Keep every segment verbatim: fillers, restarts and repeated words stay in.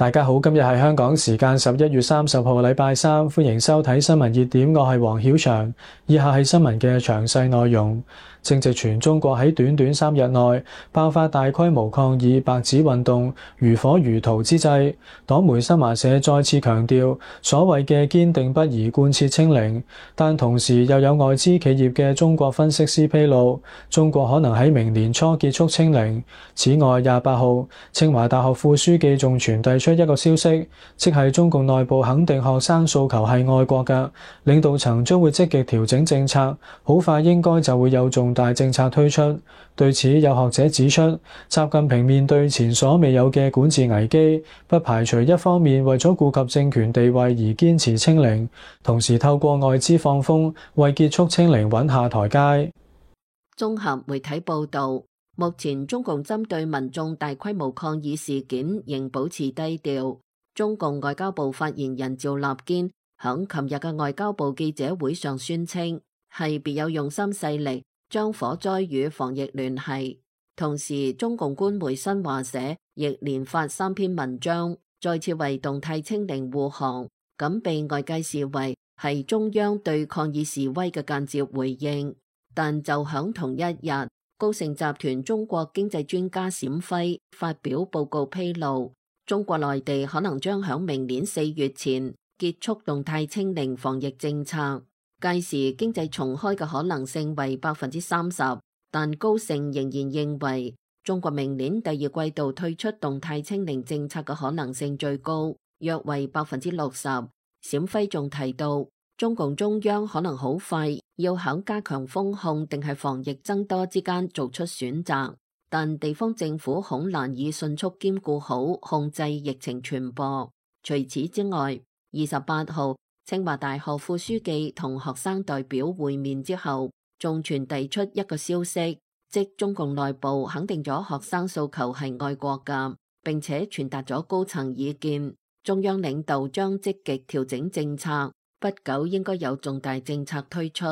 大家好，今日係香港時間十一月三十號禮拜三，歡迎收睇新聞熱點，我係黃曉翔。以下係新聞嘅詳細內容。正值全中國喺短短三日內爆發大規模抗議白紙運動，如火如荼之際，黨媒新華社再次強調所謂嘅堅定不移貫徹清零，但同時又有外資企業嘅中國分析師披露，中國可能喺明年初結束清零。此外，廿八號清華大學副書記仲傳遞出一個消息，即係中共內部肯定學生訴求係愛國嘅，領導層將會積極調整政策，好快應該就會有重大政策推出。對此，有學者指出，習近平面對前所未有嘅管治危機，不排除一方面為咗顧及政權地位而堅持清零，同時透過外資放風為結束清零穩下台階。綜合媒體報導，目前中共針對民眾大規模抗議事件仍保持低調。中共外交部發言人趙立堅響琴日嘅外交部記者會上宣稱，係別有用心勢力將火災與防疫聯繫。同時，中共官媒新華社亦連發三篇文章，再次為動態清零護航，咁被外界視為係中央對抗議示威嘅間接回應。但就響同一日，高盛集團中國經濟專家冼輝發表報告披露，中國內地可能將響明年四月前結束動態清零防疫政策，屆時經濟重開嘅可能性為百分之三十，但高盛仍然認為中國明年第二季度退出動態清零政策嘅可能性最高，約為百分之六十。冼輝仲提到，中共中央可能好快要響加強封控定係防疫增多之間做出選擇，但地方政府恐難以迅速兼顧好控制疫情傳播。除此之外，二十八號清華大學副書記同學生代表會面之後，仲傳遞出一個消息，即中共內部肯定咗學生訴求係愛國㗎，並且傳達咗高層意見，中央領導將積極調整政策，不久應該有重大政策推出。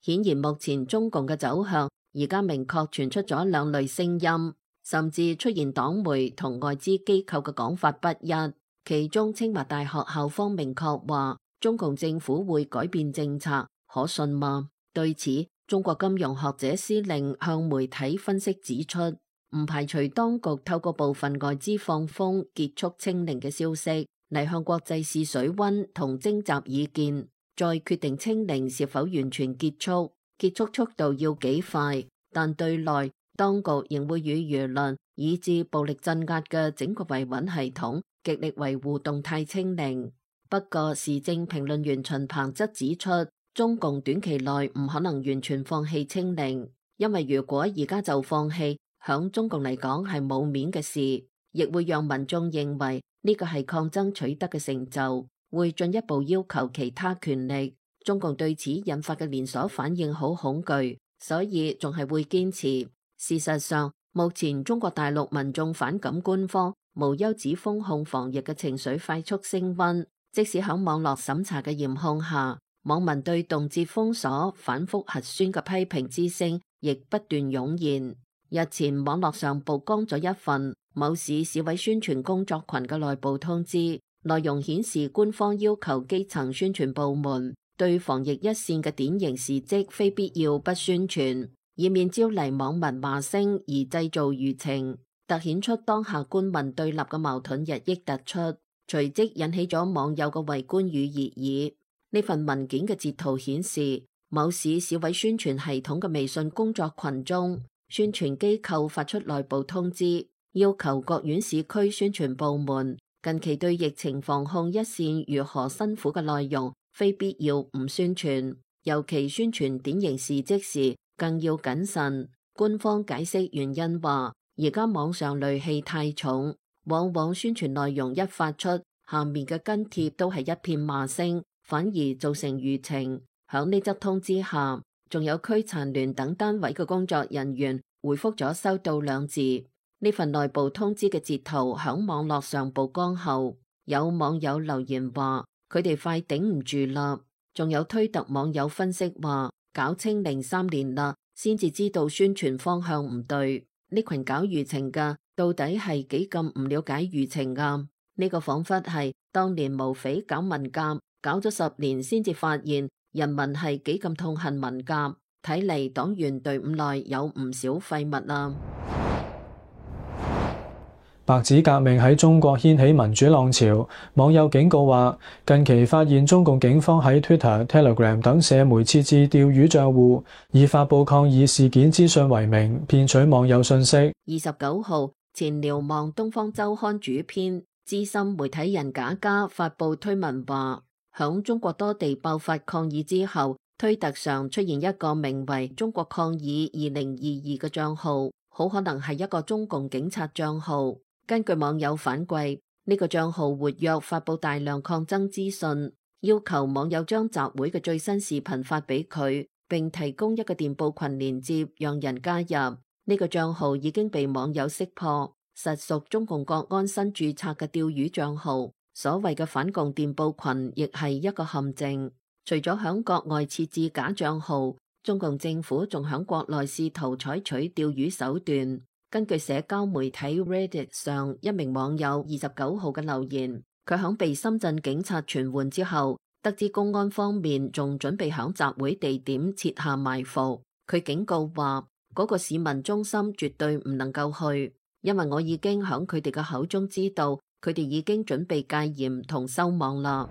顯然目前中共嘅走向而家明確傳出咗兩類聲音，甚至出現黨媒同外資機構嘅講法不一。其中清華大學校方明確話中共政府會改變政策，可信嗎？對此，中國金融學者司令向媒體分析指出，唔排除當局透過部分外資放風結束清零嘅消息嚟向國際試水溫同徵集意見，再決定清零是否完全結束，結束速度要幾快。但對內，當局仍會與輿論以至暴力鎮壓嘅整個維穩系統極力維護動態清零。不過，時政評論員秦鵬則指出，中共短期內唔可能完全放棄清零，因為如果而家就放棄，響中共嚟講係冇面嘅事，亦會讓民眾認為呢個係抗爭取得嘅成就，會進一步要求其他權力。中共對此引發嘅連鎖反應好恐懼，所以仲係會堅持。事實上，目前中國大陸民眾反感官方無休止封控防疫嘅情緒快速升溫，即使喺網絡審查嘅嚴控下，網民對動輒封鎖、反覆核酸嘅批評之聲亦不斷湧現。日前網絡上曝光咗一份某市市委宣傳工作群嘅內部通知，內容顯示官方要求基層宣傳部門對防疫一線嘅典型事蹟非必要不宣傳，以免招嚟網民罵聲而製造輿情，凸顯出當下官民對立嘅矛盾日益突出，隨即引起咗網友嘅圍觀與熱議。呢份文件嘅截圖顯示，某市市委宣傳系統嘅微信工作群中，宣傳機構發出內部通知，要求各縣市區宣傳部門近期對疫情防控一線如何辛苦嘅內容非必要唔宣傳，尤其宣傳典型事蹟時更要謹慎。官方解釋原因話，而家網上戾氣太重，往往宣傳內容一發出，下面嘅跟帖都係一片罵聲，反而造成輿情。響呢則通知下，仲有區殘聯等單位嘅工作人員回覆咗收到兩字。呢份內部通知嘅截圖響網絡上曝光後，有網友留言話佢哋快頂唔住啦。仲有推特網友分析話，搞清零三年啦，先至知道宣傳方向唔對。呢群搞輿情嘅到底係幾咁唔了解輿情啊？呢個彷彿係當年毛匪搞文革，搞咗十年先至發現人民係幾咁痛恨文革。睇嚟黨員隊伍內有唔少廢物啦。白紙革命喺中國掀起民主浪潮，網友警告話，近期發現中共警方喺 Twitter、Telegram 等社媒設置釣魚賬戶，以發佈抗議事件資訊為名，騙取網友信息。二十九號，前瞭望東方週刊主編、資深媒體人賈嘉發佈推文話，響中國多地爆發抗議之後，推特上出現一個名為中國抗議二零二二嘅賬號，好可能係一個中共警察賬號。根據網友反饋，呢個賬號活躍發佈大量抗爭資訊，要求網友將集會嘅最新視頻發俾佢，並提供一個電報群連接讓人加入。呢個賬號已經被網友識破，實屬中共國安新註冊嘅釣魚賬號。所謂嘅反共電報群亦係一個陷阱。除咗響國外設置假賬號，中共政府仲響國內試圖採取釣魚手段。根據社交媒體 Reddit 上一名網友二十九號嘅留言，佢響被深圳警察傳喚之後，得知公安方面仲準備響集會地點設下埋伏。佢警告話，嗰個市民中心絕對唔能夠去，因為我已經響佢哋嘅口中知道，佢哋已經準備戒嚴同收網啦。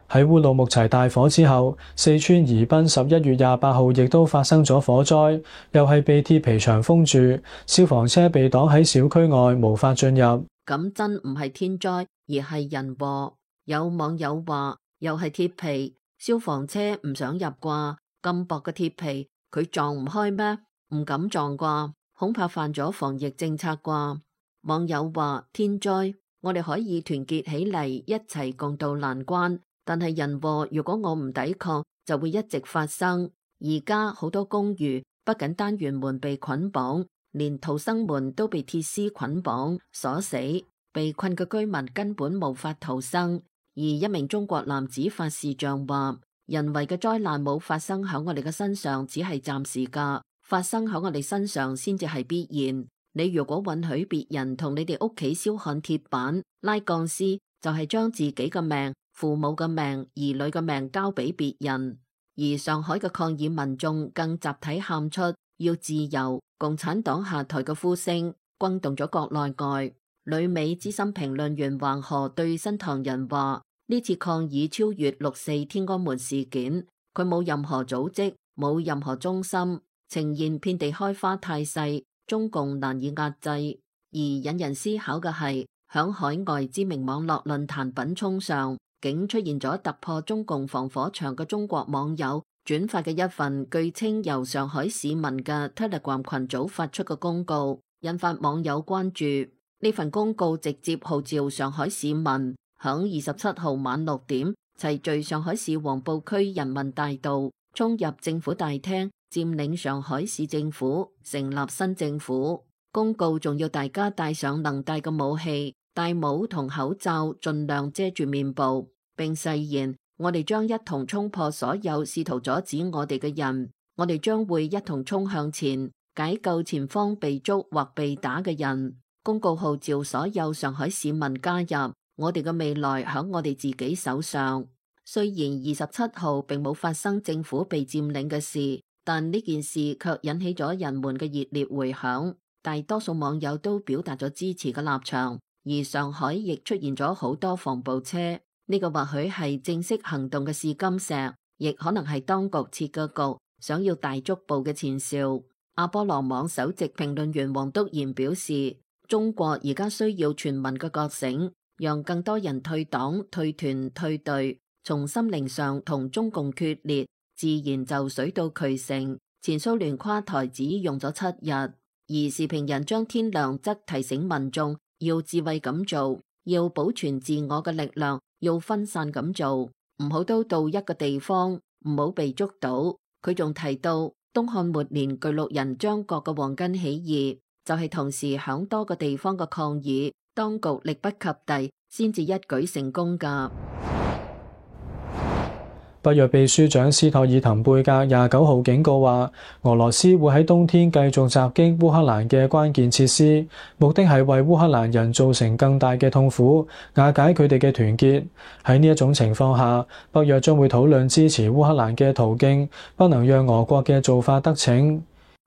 喺烏魯木齊大火之後，四川宜賓十一月廿八號亦都發生咗火災，又係被鐵皮牆封住，消防車被擋喺小區外，無法進入。咁真唔係天災，而係人禍。有網友話，又係鐵皮，消防車唔想入啩？咁薄嘅鐵皮，佢撞唔開咩？唔敢撞啩？恐怕犯咗防疫政策啩？網友話，天災，我哋可以團結起嚟，一齊共度難關。但係人禍，如果我唔抵抗，就會一直發生。而家好多公寓不僅單元門被捆綁，連逃生門都被鐵絲捆綁鎖死，被困嘅居民根本無法逃生。而一名中國男子發視像話，人為嘅災難冇發生喺我哋嘅身上，只係暫時噶，發生喺我哋身上先至係必然。你如果允許別人同你哋屋企燒焊鐵板、拉鋼絲，就係將自己嘅命、父母嘅命、兒女嘅命交俾別人。而上海嘅抗議民眾更集體喊出要自由、共產黨下台嘅呼聲，轟動咗國內外。旅美資深評論員黃河對新唐人話：呢次抗議超越六四天安門事件，佢冇任何組織，冇任何中心，呈現遍地開花態勢，中共難以壓制。而引人思考嘅係，響海外知名網絡論壇品衝上，竟出現咗突破中共防火牆嘅中國網友轉發嘅一份據稱由上海市民嘅 Telegram 群組發出嘅公告，引發網友關注。呢份公告直接號召上海市民響二十七號晚六點齊聚上海市黃浦區人民大道，衝入政府大廳，佔領上海市政府，成立新政府。公告仲要大家帶上能帶嘅武器，戴帽同口罩，盡量遮住面部，並誓言：我哋將一同衝破所有試圖阻止我哋嘅人，我哋將會一同衝向前，解救前方被捉或被打嘅人。公告號召所有上海市民加入，我哋嘅未來響我哋自己手上。雖然二十七號並冇發生政府被佔領嘅事，但呢件事卻引起咗人們嘅熱烈回響。大多數網友都表達咗支持嘅立場，而上海亦出現咗好多防暴車。呢個或許係正式行動嘅試金石，亦可能係當局設嘅局，想要大捉捕嘅前兆。阿波羅網首席評論員黃篤賢表示，中國而家需要全民嘅覺醒，讓更多人退黨、退團、退隊，從心靈上同中共決裂，自然就水到渠成。前蘇聯垮台只用咗七日。而時評人張天亮則提醒民眾要智慧咁做，要保存自我嘅力量，要分散咁做，唔好都到一個地方，唔好被捉到。佢仲提到東漢末年巨鹿人張角嘅黃巾起義，就係、是、同時響多個地方嘅抗議，當局力不及逮，先至一舉成功噶。北約秘書長斯托爾滕貝格廿九號警告話，俄羅斯會喺冬天繼續襲擊烏克蘭嘅關鍵設施，目的係為烏克蘭人造成更大嘅痛苦，瓦解佢哋嘅團結。喺呢一種情況下，北約將會討論支持烏克蘭嘅途徑，不能讓俄國嘅做法得逞。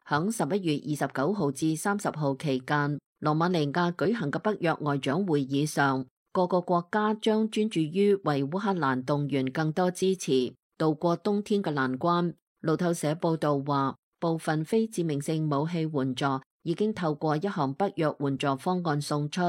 響十一月二十九號至三十號期間，羅馬尼亞舉行嘅北約外長會議上，各個國家將專注於為烏克蘭動員更多支持，渡過冬天嘅難關。路透社報道話，部分非致命性武器援助已經透過一項北約援助方案送出。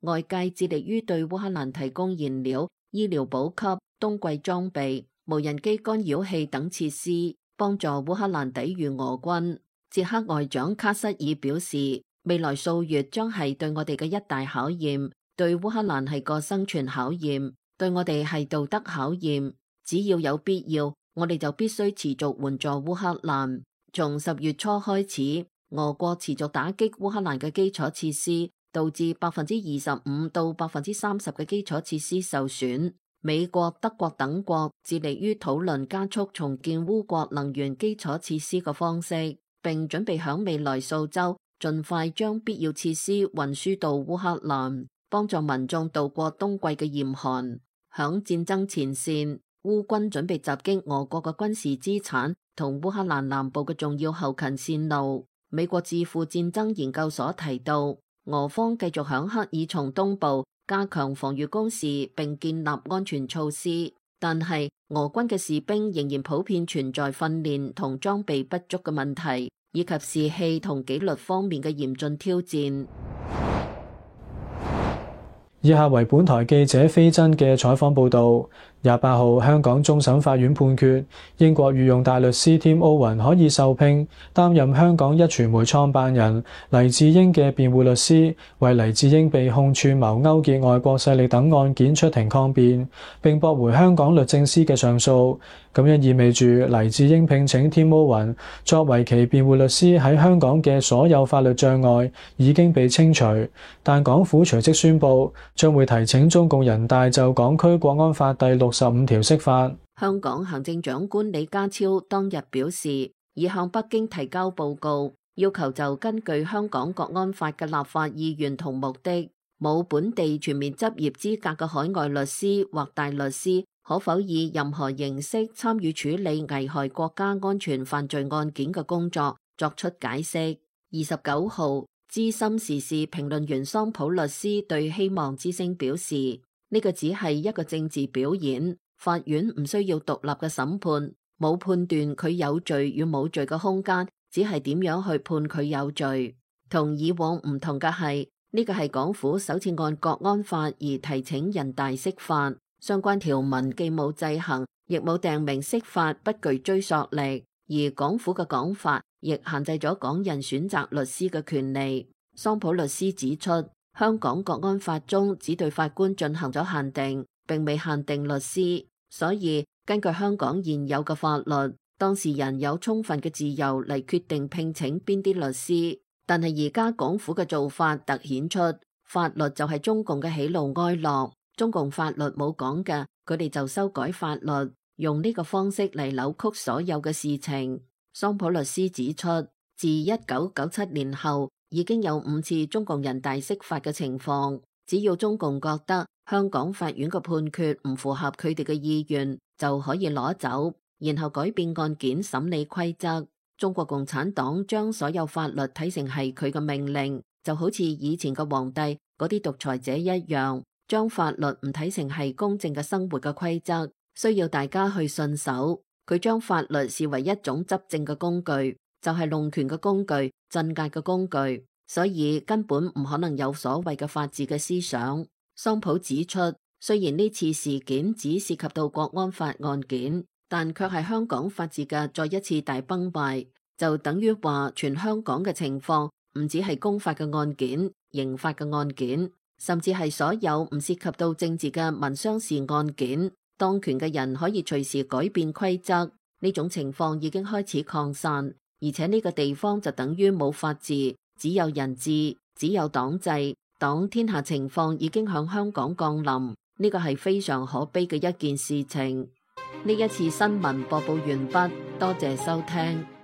外界致力於對烏克蘭提供燃料、醫療補給、冬季裝備、無人機干擾器等設施，幫助烏克蘭抵禦俄軍。捷克外長卡塞爾表示，未來數月將係對我哋嘅一大考驗，對烏克蘭係個生存考驗，對我哋係道德考驗。只要有必要，我哋就必須持續援助烏克蘭。從十月初開始，俄國持續打擊烏克蘭嘅基礎設施，導致百分之二十五到百分之三十嘅基礎設施受損。美國、德國等國致力於討論加速重建烏國能源基礎設施嘅方式，並準備響未來數週盡快將必要設施運輸到烏克蘭，幫助民眾度過冬季嘅嚴寒。響戰爭前線，烏軍準備襲擊俄國嘅軍事資產同烏克蘭南部嘅重要後勤線路。美國智庫戰爭研究所提到，俄方繼續響克爾松東部加強防禦工事並建立安全措施，但係俄軍嘅士兵仍然普遍存在訓練同裝備不足嘅問題，以及士氣同紀律方面嘅嚴峻挑戰。以下為本台記者飛真嘅採訪報導。廿八號，香港終審法院判決，英國御用大律師 Tim Owen 可以受聘擔任香港一傳媒創辦人黎智英嘅辯護律師，為黎智英被控串謀勾結外國勢力等案件出庭抗辯，並駁回香港律政司嘅上訴。咁樣意味住黎智英聘請 Tim Owen 作為其辯護律師喺香港嘅所有法律障礙已經被清除，但港府隨即宣布將會提請中共人大就港區國安法第六十五條釋法。香港行政長官李家超當日表示，已向北京提交報告，要求就根據香港國安法嘅立法意願同目的，冇本地全面執業資格嘅海外律師或大律師，可否以任何形式參與處理危害國家安全犯罪案件嘅工作，作出解釋。二十九號，資深時事評論員桑普律師對希望之聲表示，呢個只係一個政治表演，法院唔需要獨立嘅審判，冇判斷佢有罪與冇罪嘅空間，只係點樣去判佢有罪。同以往唔同嘅係，呢個係港府首次按國安法而提請人大釋法，相關條文既冇制衡，亦冇訂明釋法不具追溯力，而港府嘅講法亦限制咗港人選擇律師嘅權利。桑普律師指出，香港國安法中只對法官進行咗限定，並未限定律師，所以根據香港現有嘅法律，當事人有充分嘅自由嚟決定聘請邊啲律師。但係而家港府嘅做法凸顯出，法律就係中共嘅喜怒哀樂，中共法律冇講嘅，佢哋就修改法律，用呢個方式嚟扭曲所有嘅事情。桑普律師指出，自一九九七年後，已經有五次中共人大釋法嘅情況，只要中共覺得香港法院嘅判決唔符合佢哋嘅意願，就可以攞走，然後改變案件審理規則。中國共產黨將所有法律睇成係佢嘅命令，就好似以前嘅皇帝嗰啲獨裁者一樣，將法律唔睇成係公正嘅生活嘅規則，需要大家去信守。佢將法律視為一種執政嘅工具，就係弄權嘅工具、鎮壓嘅工具，所以根本唔可能有所謂嘅法治嘅思想。桑普指出，雖然呢次事件只涉及到國安法案件，但卻係香港法治嘅再一次大崩壞，就等於話全香港嘅情況唔只係公法嘅案件、刑法嘅案件，甚至係所有唔涉及到政治嘅民商事案件。當權嘅人可以隨時改變規則，呢種情況已經開始擴散，而且呢個地方就等於冇法治，只有人治，只有黨制，黨天下情況已經向香港降臨，呢個係非常可悲嘅一件事情。呢一次新聞播報完畢，多謝收聽。